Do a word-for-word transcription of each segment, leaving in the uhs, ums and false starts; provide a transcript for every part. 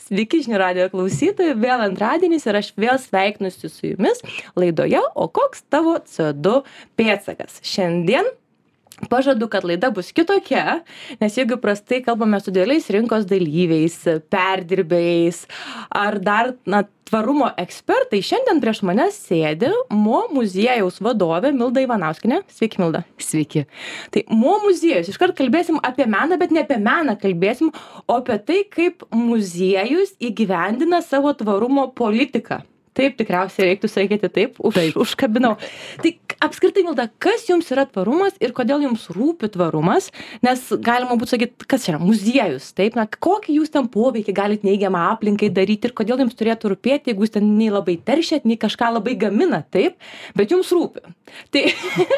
Sveiki žinių radijo klausytojai, vėl antradienis ir aš vėl sveikinusi su jumis laidoje O koks tavo C O du pėdsakas. Šiandien pažadu, kad laida bus kitokia, nes jeigu prastai kalbame su dideliais rinkos dalyviais, perdirbėjais ar dar na, tvarumo ekspertai, šiandien prieš mane sėdi Mo muziejaus vadovė Milda Ivanauskienė. Sveiki, Milda. Sveiki. Tai Mo muziejus, iškart kalbėsim apie meną, bet ne apie meną kalbėsim, o apie tai, kaip muziejus įgyvendina savo tvarumo politiką. Taip, tikriausiai reiktų sakyti taip, už, taip. užkabinau. Tai apskritai, Milda, kas jums yra tvarumas ir kodėl jums rūpi tvarumas? Nes galima būtų sakyti, kas yra muziejus, taip? Na, kokį jūs ten poveikį galite neigiamą aplinkai daryti ir kodėl jums turėtų rūpėti, jeigu jūs ten nei labai teršiat, nei kažką labai gamina, taip? Bet jums rūpi. Tai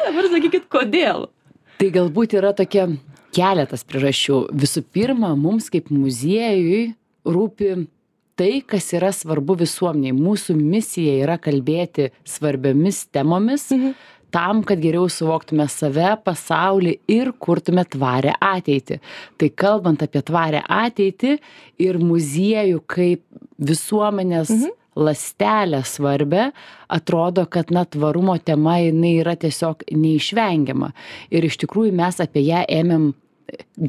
dabar sakykit, kodėl? Tai galbūt yra tokia keletas priežasčių. Visų pirma, mums kaip muziejui rūpi tai, kas yra svarbu visuomeniai. Mūsų misija yra kalbėti svarbiomis temomis, mhm. tam, kad geriau suvoktume save, pasaulį ir kurtume tvarę ateitį. Tai kalbant apie tvarę ateitį ir muziejų kaip visuomenės mhm. lastelę svarbę, atrodo, kad na, tvarumo tema jinai yra tiesiog neišvengiama. Ir iš tikrųjų mes apie ją ėmėm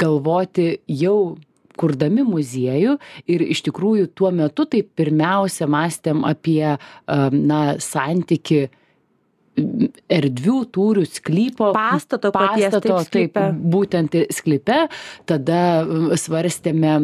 galvoti jau kurdami muziejų ir iš tikrųjų tuo metu tai pirmiausia mąstėm apie na, santyki erdvių tūrių sklypo pastato, paties, pastato taip, taip, būtent sklype. Tada svarstėme,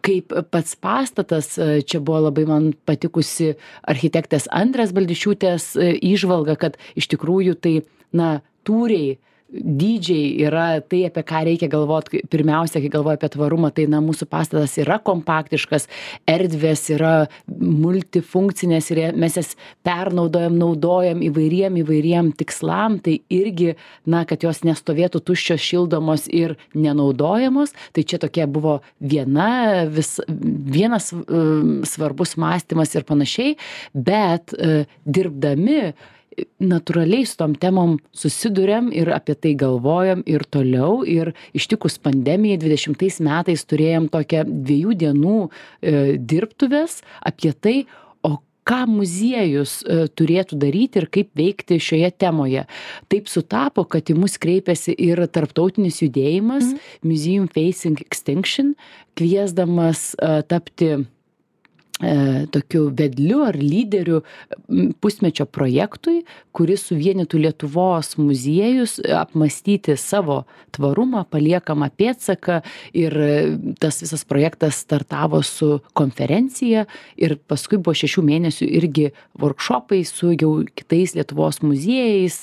kaip pats pastatas, čia buvo labai man patikusi architektės Andrės Baldišiūtės įžvalga, kad iš tikrųjų tai na, tūriai dydžiai yra tai, apie ką reikia galvoti pirmiausia, kai galvoja apie tvarumą, tai na, mūsų pastatas yra kompaktiškas, erdvės yra multifunkcinės ir mes jas pernaudojam, naudojam įvairiem, įvairiem tikslam, tai irgi, na, kad jos nestovėtų tuščios, šildomos ir nenaudojamos, tai čia tokia buvo viena, vis, vienas um, svarbus mąstymas ir panašiai, bet uh, dirbdami natūraliai su tom temom susiduriam ir apie tai galvojam ir toliau ir ištikus pandemijai dvidešimtais metais turėjom tokią dviejų dienų e, dirbtuves apie tai, o ką muziejus e, turėtų daryti ir kaip veikti šioje temoje. Taip sutapo, kad į mus kreipėsi ir tarptautinis judėjimas mm. Museum Facing Extinction, kviesdamas e, tapti tokiu vedliu ar lyderiu pusmečio projektui, kuris suvienytų Lietuvos muziejus, apmąstyti savo tvarumą, paliekamą pėdsaką ir tas visas projektas startavo su konferencija ir paskui buvo šešių mėnesių irgi workshopai su jau kitais Lietuvos muziejais,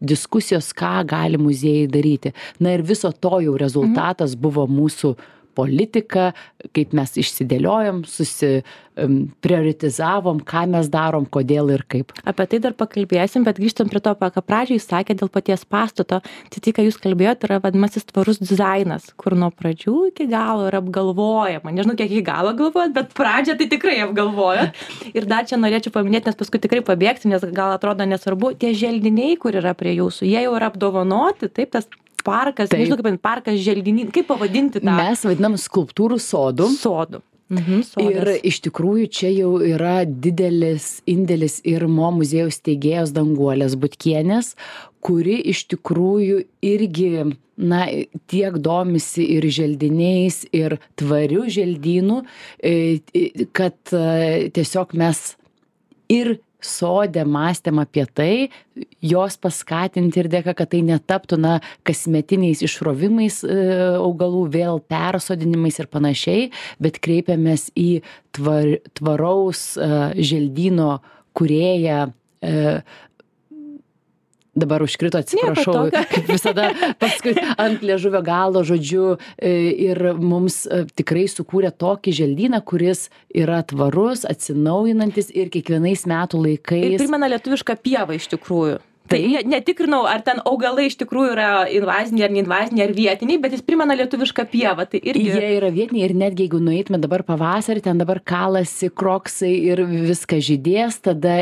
diskusijos, ką gali muziejai daryti. Na ir viso to jau rezultatas mhm. buvo mūsų politika, kaip mes išsidėliojom, susi um, prioritizavom, ką mes darom, kodėl ir kaip. Apie tai dar pakalbėsim, bet grįžtam prie to, ką pradžiai sakė dėl paties pastato. Tai tai, ką jūs kalbėjote, yra vadinamasis tvarus dizainas, kur nuo pradžių iki galo yra apgalvojama. Nežinau, kiek iki galo galvojat, bet pradžią tai tikrai apgalvojat. Ir dar čia norėčiau paminėti, nes paskui tikrai pabėgsim, nes gal atrodo nesvarbu, tie želdiniai, kur yra prie jūsų, jie jau yra apdovanoti, taip, tas parkas, taip. Nežinau, kaip parkas, želdinys, kaip pavadinti tą? Mes vadinam skulptūrų sodų. Sodų. Mhm, ir iš tikrųjų čia jau yra didelis indėlis ir Mo muziejaus steigėjos Danguolės Butkienės, kuri iš tikrųjų irgi na, tiek domisi ir želdiniais, ir tvarių želdynų, kad tiesiog mes ir sode mąstėm apie tai, jos paskatinti ir dėka, kad tai netaptų na, kasmetiniais išrovimais e, augalų, vėl persodinimais ir panašiai, bet kreipiamės į tvar, tvaraus e, želdyno kūrėją, e, dabar užkrito, atsiprašau, kaip visada paskui ant liežuvio galo, žodžiu, ir mums tikrai sukūrė tokį želdyną, kuris yra tvarus, atsinaujinantis ir kiekvienais metų laikais. Ir primena lietuvišką pievą iš tikrųjų. Tai netikrinau, ar ten augalai iš tikrųjų yra invaziniai ar neinvaziniai ar vietiniai, bet jis primena lietuvišką pievą. Tai irgi... Jie yra vietiniai ir netgi jeigu nueitume dabar pavasarį, ten dabar kalasi kroksai ir viskas žydės, tada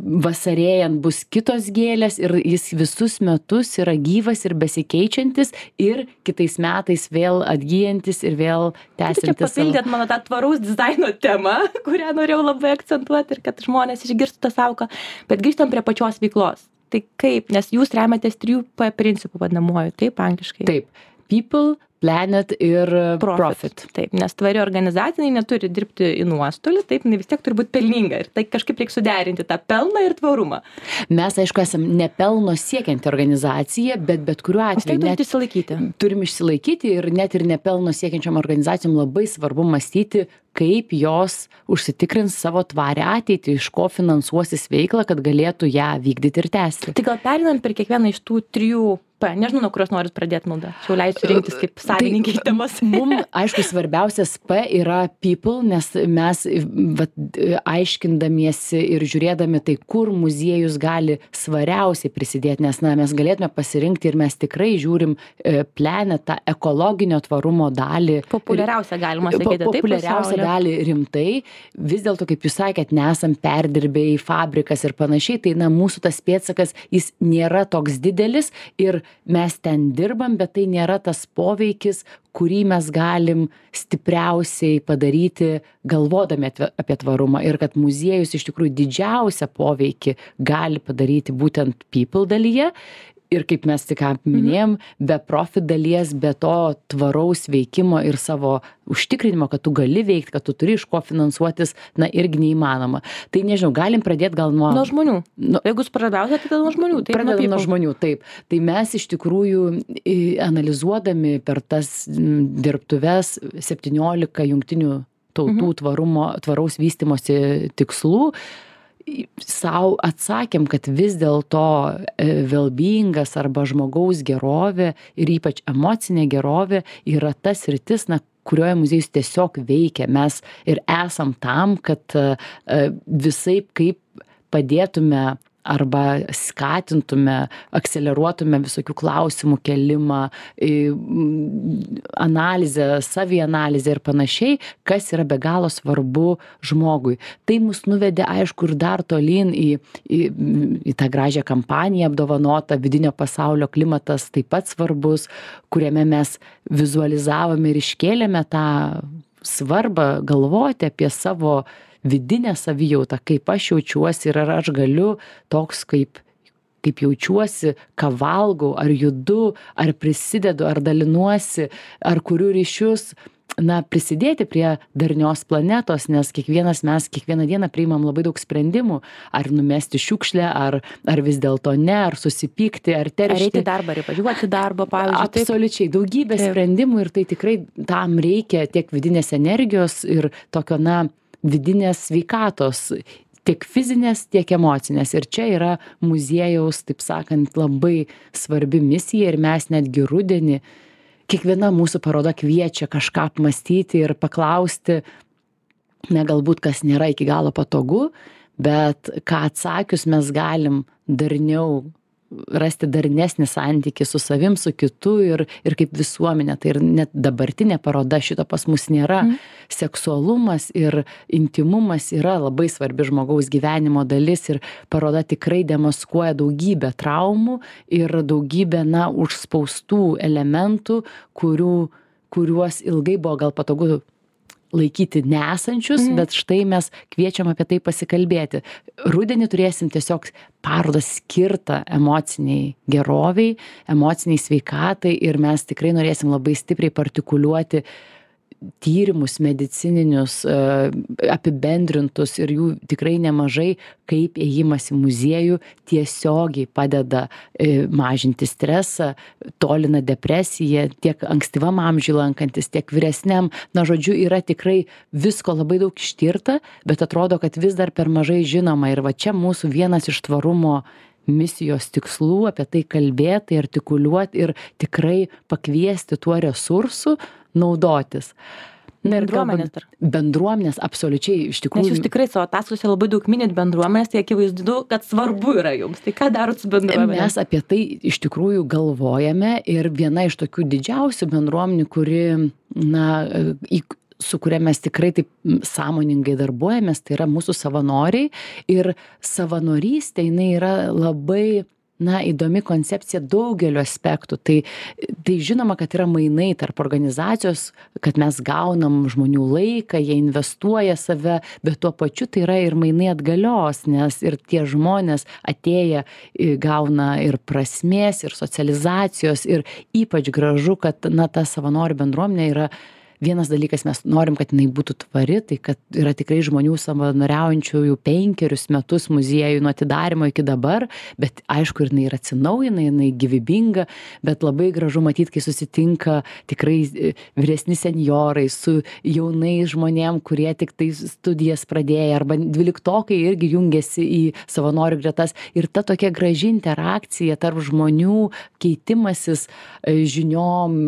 vasarėjant bus kitos gėlės ir jis visus metus yra gyvas ir besikeičiantis ir kitais metais vėl atgyjantis ir vėl tęsiantis. Čia papildėt mano tą tvaraus dizaino temą, kurią norėjau labai akcentuoti ir kad žmonės išgirstų tą sąvoką. Bet grįžtam prie pačios veiklos. Tai kaip, nes jūs remiatės trijų P principų vadinamuoju, taip, angliškai? Taip. People, planet ir profit. profit. Taip, nes tvari organizacija neturi dirbti į nuostolį, taip, jinai vis tiek turi būti pelninga ir tai kažkaip reikia suderinti tą pelną ir tvarumą. Mes, aišku, esam nepelno siekianti organizacija, bet bet kuriuo atveju net išsilaikyti. Turim išsilaikyti ir net ir nepelno siekiančiam organizacijom labai svarbu mąstyti, kaip jos užsitikrins savo tvarę ateitį, iš ko finansuosis veiklą, kad galėtų ją vykdyti ir tęsti. Tai gal perinam per kiekvieną iš tų trijų P, nežinau, nuo kurios norit pradėti maldą. Čia leisiu rinktis kaip savininkai tai, temas. Mums, aišku, svarbiausias P yra people, nes mes vat, aiškindamiesi ir žiūrėdami tai, kur muziejus gali svariausiai prisidėti, nes na, mes galėtume pasirinkti ir mes tikrai žiūrim planetą, ekologinio tvarumo dalį. Populiariausia galima sakyti. Po, populiariausia dalį rimtai. Vis dėlto, kaip jūs sakėt, nesam perdirbėjai, fabrikas ir panašiai, tai na, mūsų tas pėdsakas, jis nėra toks didelis ir mes ten dirbam, bet tai nėra tas poveikis, kurį mes galim stipriausiai padaryti galvodami apie tvarumą ir kad muziejus iš tikrųjų didžiausią poveikį gali padaryti būtent people dalyje. Ir kaip mes tik minėjom, be profit dalies, be to tvaraus veikimo ir savo užtikrinimo, kad tu gali veikti, kad tu turi iš ko finansuotis, na irgi neįmanoma. Tai nežinau, galim pradėti gal nuo... Nuo žmonių. Nu, Jeigu jūs pradėsite, tai nuo žmonių. Taip, pradedam nuo žmonių, taip. Tai mes iš tikrųjų analizuodami per tas dirbtuves septyniolika jungtinių tautų mhm. tvarumo, tvaraus vystymosi tikslų, sau atsakėm, kad vis dėlto well-beingas arba žmogaus gerovė ir ypač emocinė gerovė yra tas sritis, na, kurioje muziejus tiesiog veikia. Mes ir esam tam, kad visaip kaip padėtume arba skatintume, akceleruotume visokių klausimų kelimą, analizę, savianalizę ir panašiai, kas yra be galo svarbu žmogui. Tai mus nuvedė, aišku, ir dar tolyn į, į, į tą gražią kampaniją apdovanotą, vidinio pasaulio klimatas taip pat svarbus, kuriame mes vizualizavome ir iškėlėme tą svarbą galvoti apie savo vidinę savijautą, kaip aš jaučiuosi ir ar aš galiu toks, kaip, kaip jaučiuosi, ką valgau, ar judu, ar prisidedu, ar dalinuosi, ar kuriu ryšius, na, prisidėti prie darnios planetos, nes kiekvienas mes kiekvieną dieną priimam labai daug sprendimų, ar numesti šiukšlę, ar, ar vis dėlto ne, ar susipykti, ar teršti. Ar eiti į darbą, ar važiuoti į darbą, pavyzdžiui. Absoliučiai, daugybė taip. Sprendimų ir tai tikrai tam reikia tiek vidinės energijos ir tokio, na, vidinės sveikatos, tiek fizinės, tiek emocinės. Ir čia yra muziejaus, taip sakant, labai svarbi misija ir mes netgi rudenį, kiekviena mūsų paroda kviečia kažką apmąstyti ir paklausti, ne galbūt kas nėra iki galo patogu, bet ką atsakius mes galim darniau rasti darnesnį santykį su savim, su kitu ir, ir kaip visuomenė. Tai ir net dabartinė paroda šito pas mus nėra. Mm. Seksualumas ir intimumas yra labai svarbi žmogaus gyvenimo dalis ir paroda tikrai demaskuoja daugybę traumų ir daugybę, na, užspaustų elementų, kurių, kuriuos ilgai buvo gal patogu laikyti nesančius, mm. bet štai mes kviečiam apie tai pasikalbėti. Rudenį turėsim tiesiog parodą skirtą emociniai geroviai, emociniai sveikatai ir mes tikrai norėsim labai stipriai partikuliuoti tyrimus medicininius, apibendrintus ir jų tikrai nemažai, kaip ėjimas į muziejų tiesiogiai padeda mažinti stresą, tolina depresiją, tiek ankstyvam amžiui lankantis, tiek vyresniam. Na, žodžiu, yra tikrai visko labai daug ištirta, bet atrodo, kad vis dar per mažai žinoma. Ir va čia mūsų vienas iš tvarumo misijos tikslų apie tai kalbėti, artikuliuoti ir tikrai pakviesti tuo resursu naudotis. Na, bendruomenės dar. Bendruomenės, absoliučiai, iš tikrųjų. Nes jūs tikrai savo ataskaitose labai daug minit bendruomenės, tai akivaizdu, kad svarbu yra jums. Tai ką darot su bendruomenė? Mes apie tai iš tikrųjų galvojame ir viena iš tokių didžiausių bendruomenių, kuri, na, į su kuria mes tikrai taip sąmoningai darbuojamės, tai yra mūsų savanoriai. Ir savanorystė, jinai yra labai, na, įdomi koncepcija daugeliu aspektų. Tai, tai žinoma, kad yra mainai tarp organizacijos, kad mes gaunam žmonių laiką, jie investuoja save, bet tuo pačiu tai yra ir mainai atgalios, nes ir tie žmonės atėję gauna ir prasmės, ir socializacijos, ir ypač gražu, kad, na, ta savanorių bendruomenė yra. Vienas dalykas, mes norim, kad jinai būtų tvari, tai kad yra tikrai žmonių savanoriaujančių jau penkerius metus muziejų nuo atidarymo iki dabar, bet aišku, ir jinai yra atsinaujina, jinai gyvybinga, bet labai gražu matyti, kai susitinka tikrai vyresni senjorai su jaunais žmonėm, kurie tik tai studijas pradėję, arba dvyliktokai irgi jungiasi į savanorių gretas. Ir ta tokia graži interakcija tarp žmonių, keitimasis žiniom,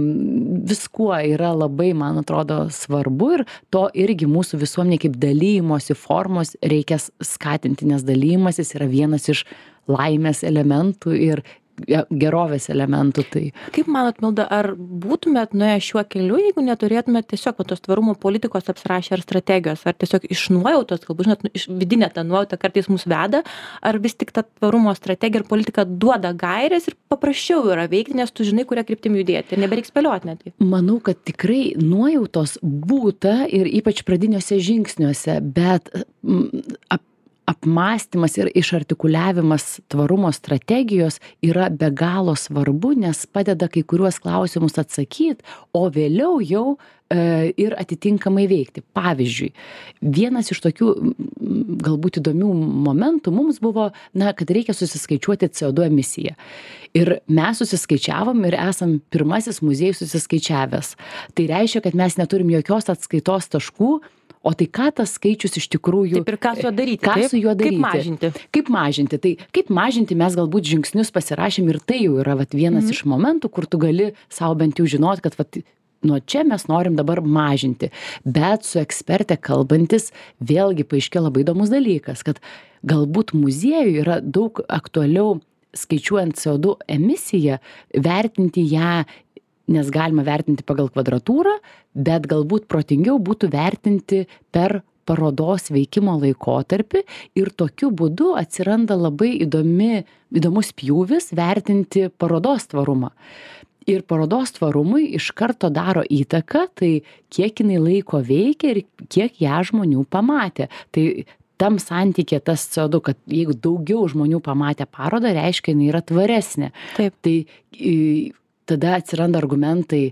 viskuo yra labai, man atrodo, svarbu, ir to irgi mūsų visuomenė kaip dalymosi formos reikia skatinti, nes dalymasis yra vienas iš laimės elementų ir gerovės elementų. Tai. Kaip manot, Milda, ar būtumėt nuėję šiuo keliu, jeigu neturėtumėt tiesiog va, tos tvarumo politikos apsirašę ar strategijos, ar tiesiog iš nuojautos, galbūt, žinot, iš vidinė ta nuojauta kartais mus veda, ar vis tik ta tvarumo strategija ir politika duoda gairės ir paprasčiau yra veikti, nes tu žinai, kuria kryptim judėti ir nebereiks spėlioti netgi? Manau, kad tikrai nuojautos būta ir ypač pradiniuose žingsniuose, bet ap apmąstymas ir išartikuliavimas tvarumo strategijos yra be galo svarbu, nes padeda kai kuriuos klausimus atsakyti, o vėliau jau e, ir atitinkamai veikti. Pavyzdžiui, vienas iš tokių galbūt įdomių momentų mums buvo, na, kad reikia susiskaičiuoti C O du emisiją. Ir mes susiskaičiavom ir esam pirmasis muziejus susiskaičiavęs. Tai reiškia, kad mes neturim jokios atskaitos taškų. O tai ką tas skaičius iš tikrųjų... Taip, ir ką su juo daryti? Ką taip? su juo daryti? Kaip mažinti? Kaip mažinti? Tai kaip mažinti mes galbūt žingsnius pasirašėm ir tai jau yra vat, vienas mm. iš momentų, kur tu gali savo bent jau žinoti, kad vat, nuo čia mes norim dabar mažinti. Bet su eksperte kalbantis vėlgi paaiškėjo labai įdomus dalykas, kad galbūt muziejui yra daug aktualiau skaičiuojant C O du emisiją, vertinti ją, nes galima vertinti pagal kvadratūrą, bet galbūt protingiau būtų vertinti per parodos veikimo laikotarpį ir tokiu būdu atsiranda labai įdomi, įdomus pjūvis vertinti parodos tvarumą. Ir parodos tvarumui iš karto daro įtaką, tai kiek jinai laiko veikia ir kiek ją žmonių pamatė. Tai tam santykė tas C O du, kad jeigu daugiau žmonių pamatė parodą, reiškia, jinai yra tvaresnė. Taip. Tai tada atsiranda argumentai,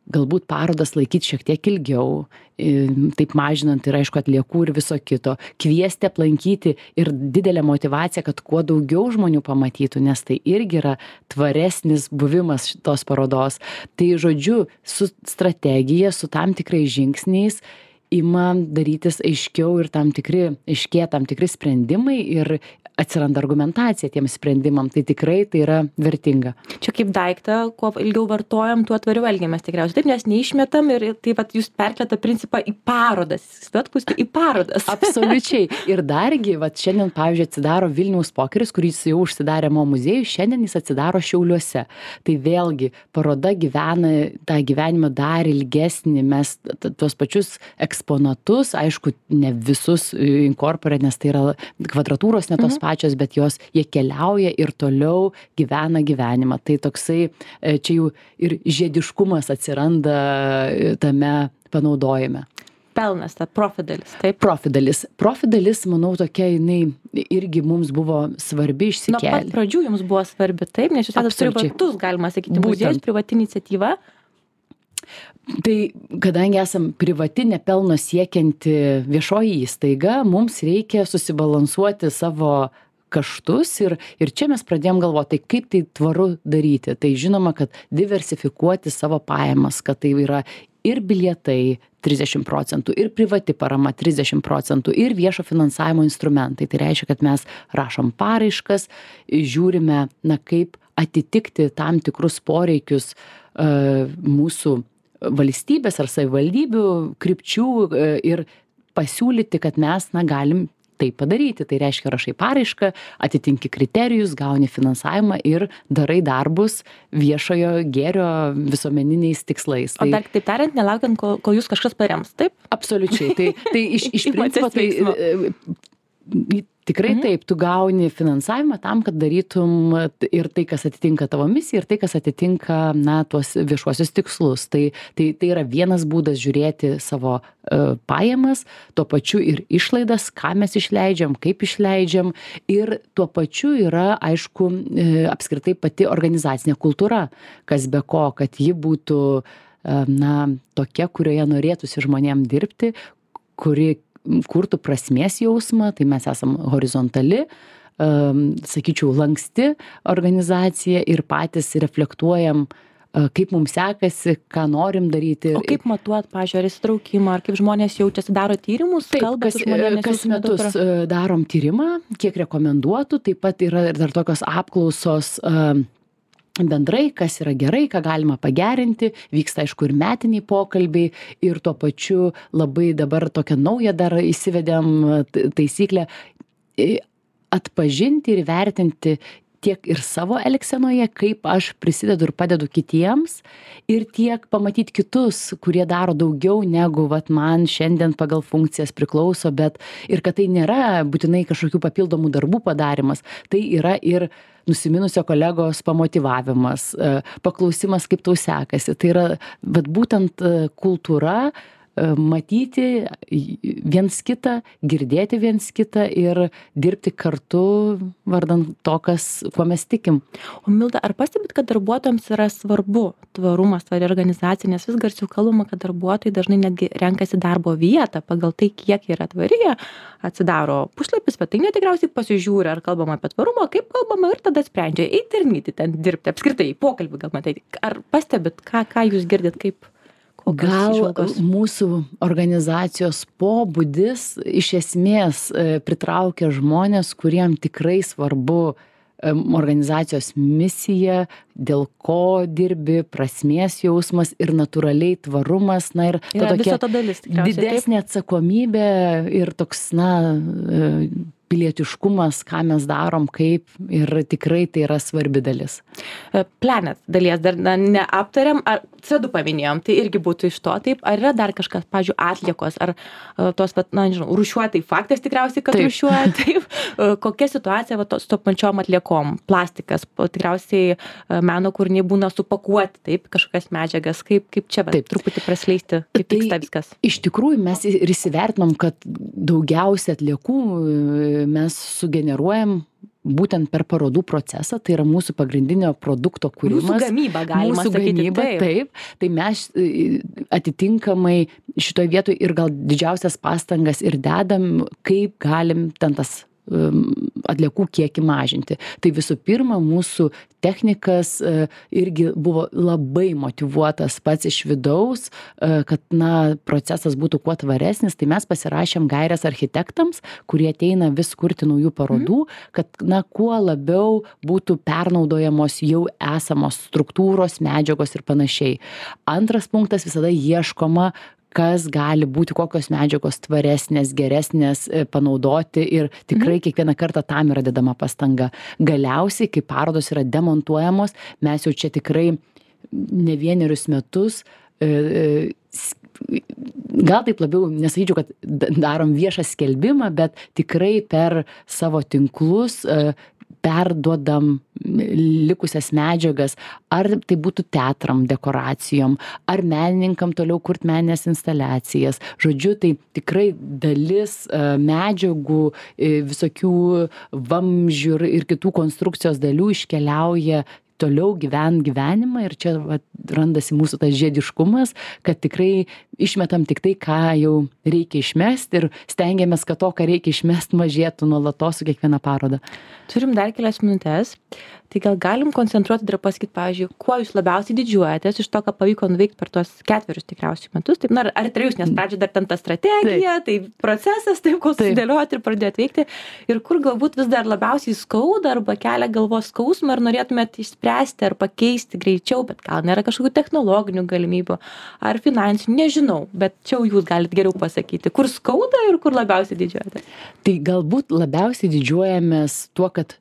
galbūt parodas laikyti šiek tiek ilgiau, taip mažinant ir aišku atliekų ir viso kito, kviesti aplankyti ir didelė motyvacija, kad kuo daugiau žmonių pamatytų, nes tai irgi yra tvaresnis buvimas šitos parodos. Tai žodžiu, su strategija, su tam tikrais žingsniais ima darytis aiškiau ir tam tikri, aiškėja tam tikri sprendimai ir atsiranda argumentacija tiem sprendimam, tai tikrai tai yra vertinga. Čia kaip daiktą, kuo ilgiau vartojam, tuo tvariau elgiamės tikriausiai. Taip, nes neišmetam ir taip pat jūs perkeltą principą į parodas. Svetkus į parodas. Absoliučiai. Ir dargi, va, šiandien, pavyzdžiui, atsidaro Vilniaus pokeris, kuris jau užsidarė mo muziejui, šiandien jis atsidaro Šiauliuose. Tai vėlgi, paroda gyvena tą gyvenimą dar ilgesnį, mes tuos pačius eksponatus, aišku, ne visus inkorporė, nes tai yra kvadratūros ne tos mhm. pačios, bet jos, jie keliauja ir toliau gyvena gyvenimą. Tai toksai, čia jau ir žiediškumas atsiranda tame panaudojime. Pelnas, ta profidalis, taip? Profidalis. Profidalis, manau, tokia, jinai irgi mums buvo svarbi išsikėlė. Nuo pat pradžių jums buvo svarbi, taip? Nes jūs esate privatus, galima sakyti, muziejus, privati iniciatyva. Tai kadangi esam privati nepelno siekianti viešoji įstaiga, mums reikia susibalansuoti savo kaštus ir, ir čia mes pradėjom galvoti, tai kaip tai tvaru daryti. Tai žinoma, kad diversifikuoti savo pajamas, kad tai yra ir bilietai trisdešimt procentų, ir privati parama trisdešimt procentų, ir viešo finansavimo instrumentai. Tai reiškia, kad mes rašom paraiškas, žiūrime, na, kaip atitikti tam tikrus poreikius uh, mūsų valstybės ar savivaldybių krypčių ir pasiūlyti, kad mes, na, galim tai padaryti. Tai reiškia, rašai paraišką, atitinki kriterijus, gauni finansavimą ir darai darbus viešojo gėrio visuomeniniais tikslais. O dar taip tariant, nelaukiant, kol, kol jūs kažkas parems, taip? Absoliučiai. Tai, tai iš, iš principo tai tikrai mhm. taip, tu gauni finansavimą tam, kad darytum ir tai, kas atitinka tavo misiją, ir tai, kas atitinka, na, tuos viešuosius tikslus. Tai, tai, tai yra vienas būdas žiūrėti savo uh, pajamas, tuo pačiu ir išlaidas, ką mes išleidžiam, kaip išleidžiam, ir tuo pačiu yra, aišku, uh, apskritai pati organizacinė kultūra, kas be ko, kad ji būtų, uh, na, tokia, kurioje norėtųsi žmonėm dirbti, kuri kurtų prasmės jausmą, tai mes esam horizontali, um, sakyčiau, lanksti organizacija ir patys reflektuojam, uh, kaip mums sekasi, ką norim daryti. O kaip matuot, pavyzdžiui, ar įsitraukimą, ar kaip žmonės jaučiasi, daro tyrimus? Taip, kas, kas metus uh, darom tyrimą, kiek rekomenduotų, taip pat yra ir dar tokios apklausos uh, bendrai, kas yra gerai, ką galima pagerinti, vyksta aišku ir metiniai pokalbiai ir tuo pačiu labai dabar tokią naują dar įsivedėm taisyklę atpažinti ir vertinti tiek ir savo elgsenoje, kaip aš prisidedu ir padedu kitiems ir tiek pamatyti kitus, kurie daro daugiau negu vat, man šiandien pagal funkcijas priklauso, bet ir kad tai nėra būtinai kažkokių papildomų darbų padarimas, tai yra ir nusiminusio kolegos pamotyvavimas, paklausimas, kaip tau sekasi. Tai yra vat, būtent kultūra matyti viens kitą, girdėti viens kitą ir dirbti kartu vardan to, kas, kuo mes tikim. O Milda, ar pastebit, kad darbuotojams yra svarbu tvarumas, tvari organizacija, nes vis garsiau kalbama, kad darbuotojai dažnai netgi renkasi darbo vietą pagal tai, kiek yra tvari, atsidaro puslapis, svetainė tikriausiai pasižiūri, ar kalbama apie tvarumą, kaip kalbama ir tada sprendžia eiti ir nyti ten dirbti, apskritai pokalbį gal matyti. Ar pastebit, ką, ką jūs girdit, kaip Gal mūsų organizacijos pobūdis iš esmės pritraukia žmonės, kuriem tikrai svarbu organizacijos misija, dėl ko dirbi, prasmės jausmas ir natūraliai tvarumas, na ir ta tokia dalis, didesnė atsakomybė ir toks, na, pilietiškumas, ką mes darom, kaip ir tikrai tai yra svarbi dalis. Planet dalies dar na, neaptariam, ar C du paminėjom, tai irgi būtų iš to, taip, ar yra dar kažkas, pavyzdžiui, atliekos, ar tos, na, nežinau, rūšiuoja, tai faktas tikriausiai, kad taip. Rūšiuoja, taip, kokia situacija va, to, su to pačiom atliekom, plastikas, tikriausiai meno kūriniai būna supakuoti, taip, kažkokias medžiagas, kaip, kaip čia, va, taip, truputį prasleisti, kaip tai vyksta viskas. Iš tikrųjų, mes ir įsivertinom, kad daugiausia atliekų mes sugeneruojam būtent per parodų procesą, tai yra mūsų pagrindinio produkto kūrimas. Mūsų gamyba, galima mūsų sakyti. Gamyba, taip. taip. Tai mes atitinkamai šitoj vietoj ir gal didžiausias pastangas ir dedam, kaip galim ten tas atliekų kiekį mažinti. Tai visų pirma, mūsų technikas irgi buvo labai motyvuotas pats iš vidaus, kad, na, procesas būtų kuo tvaresnis, tai mes pasirašėm gaires architektams, kurie ateina vis kurti naujų parodų, kad, na, kuo labiau būtų pernaudojamos jau esamos struktūros, medžiagos ir panašiai. Antras punktas, visada ieškoma, kas gali būti, kokios medžiagos tvaresnės, geresnės panaudoti ir tikrai kiekvieną kartą tam yra dedama pastanga. Galiausiai, kai parodos yra demontuojamos, mes jau čia tikrai ne vienerius metus, gal taip labiau nesakyčiau, kad darom viešą skelbimą, bet tikrai per savo tinklus perduodam likusias medžiagas, ar tai būtų teatram, dekoracijom, ar menininkam toliau kurt meninės instaliacijas. Žodžiu, tai tikrai dalis medžiagų, visokių vamzdžių ir kitų konstrukcijos dalių iškeliauja toliau gyvent gyvenimą ir čia va, randasi mūsų tas žiediškumas, kad tikrai išmetam tik tai, ką jau reikia išmesti ir stengiamės, kad to, ką reikia išmesti, mažėtų nuolatos su kiekviena paroda. Turim dar kelias minutės, tai gal galim koncentruoti ir pasakyti, pavyzdžiui, kuo jūs labiausiai didžiuojatės iš to, ką pavyko nuveikti per tuos ketverius tikriausiai metus, taip, na, ar trejus, nes pradžioje dar ten ta strategija, taip. Tai procesas, taip, kol susidėlioti ir pradėti veikti, ir kur galbūt vis dar labiausiai skauda arba kelia galvos skausmą ir norėtumėt išspręsti ar pakeisti greičiau, bet gal nėra kažkokių technologinių galimybių ar finansinių, nežinau, bet čia jau jūs galite geriau pasakyti, kur skauda ir kur labiausiai didžiuojatės. Tai galbūt labiausiai didžiuojamės tuo, kad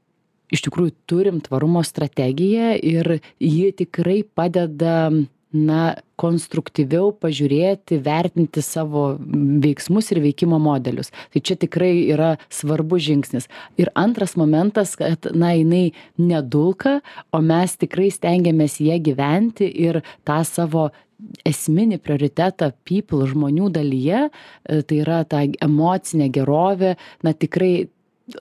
iš tikrųjų turim tvarumo strategiją ir ji tikrai padeda na, konstruktyviau pažiūrėti, vertinti savo veiksmus ir veikimo modelius. Tai čia tikrai yra svarbus žingsnis. Ir antras momentas, kad, na, jinai nedulka, o mes tikrai stengiamės ją gyventi ir tą savo esminį prioritetą people žmonių dalyje, tai yra ta emocinė gerovė, na, tikrai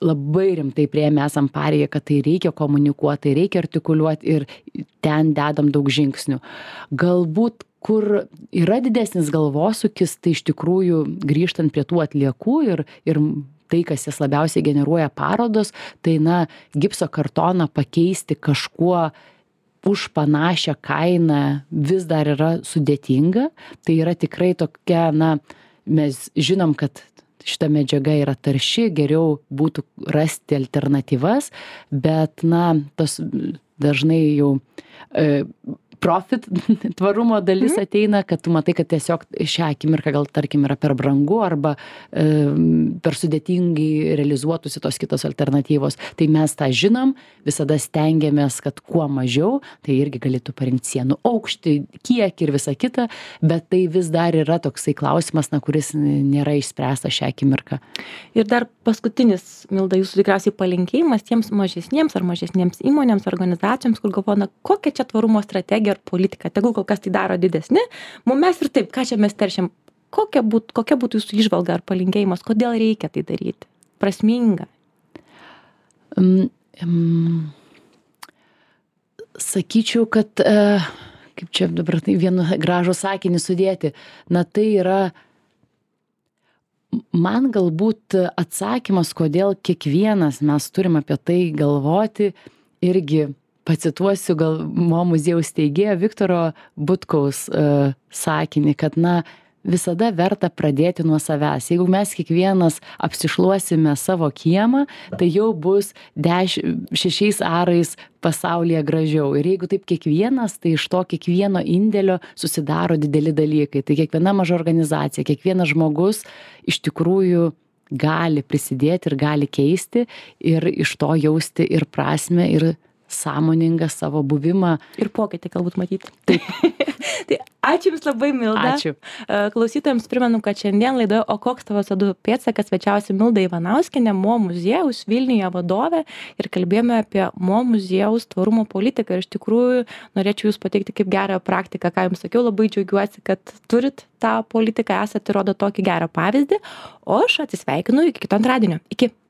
labai rimtai priėmę esam pareigą, kad tai reikia komunikuoti, tai reikia artikuliuoti ir ten dedam daug žingsnių. Galbūt, kur yra didesnis galvosūkis, tai iš tikrųjų grįžtant prie tų atliekų ir, ir tai, kas jas labiausiai generuoja parodos, tai na, gipso kartoną pakeisti kažkuo už panašią kainą vis dar yra sudėtinga. Tai yra tikrai tokia, na, mes žinom, kad šita medžiaga yra tarši, geriau būtų rasti alternatyvas, bet, na, tas dažnai jau e, profit tvarumo dalis mm. ateina, kad tu matai, kad tiesiog šią akimirką gal, tarkim, yra per brangu arba e, per sudėtingai realizuotųsi tos kitos alternatyvos. Tai mes tą žinom, visada stengiamės, kad kuo mažiau, tai irgi galėtų parinkti sienų aukštį, kiek ir visa kita, bet tai vis dar yra toksai klausimas, na, kuris nėra išspręstas šią akimirką. Ir dar paskutinis, Milda, jūsų tikriausiai palinkėjimas tiems mažesniems ar mažesniems įmonėms, organizacijoms, kur galvoja, na, kokia čia tvarumo strategija ir politika, tegul kol kas tai daro didesni, mums mes ir taip, ką čia mes teršiam, kokia, būt, kokia būtų jūsų įžvalga ar palinkėjimas, kodėl reikia tai daryti, prasminga? Um, um, sakyčiau, kad, uh, kaip čia dabar tai vienu gražų sakinį sudėti, na tai yra, man galbūt atsakymas, kodėl kiekvienas mes turim apie tai galvoti, irgi pacituosiu gal mo muziejaus steigėjo Viktoro Butkaus uh, sakinį, kad, na, visada verta pradėti nuo savęs. Jeigu mes kiekvienas apsišluosime savo kiemą, tai jau bus deš, šešiais arais pasaulyje gražiau. Ir jeigu taip kiekvienas, tai iš to kiekvieno indėlio susidaro dideli dalykai. Tai kiekviena maža organizacija, kiekvienas žmogus iš tikrųjų gali prisidėti ir gali keisti ir iš to jausti ir prasmę, ir sąmoningą savo buvimą. Ir pokytį galbūt matyti. Taip. Tai ačiū Jums labai, Milda. Ačiū. Klausytojams primenu, kad šiandien laidoje O koks tavo C O du pėdsakas svečiavosi Milda Ivanauskienė, Mo muziejaus Vilniuje vadovė, ir kalbėjome apie Mo muziejaus tvarumo politiką. Ir iš tikrųjų norėčiau Jūs pateikti kaip gerą praktiką, ką Jums sakiau, labai džiaugiuosi, kad turit tą politiką, esate, rodo tokį gerą pavyzdį, o aš atsisveikinu iki kito antradienio. Iki.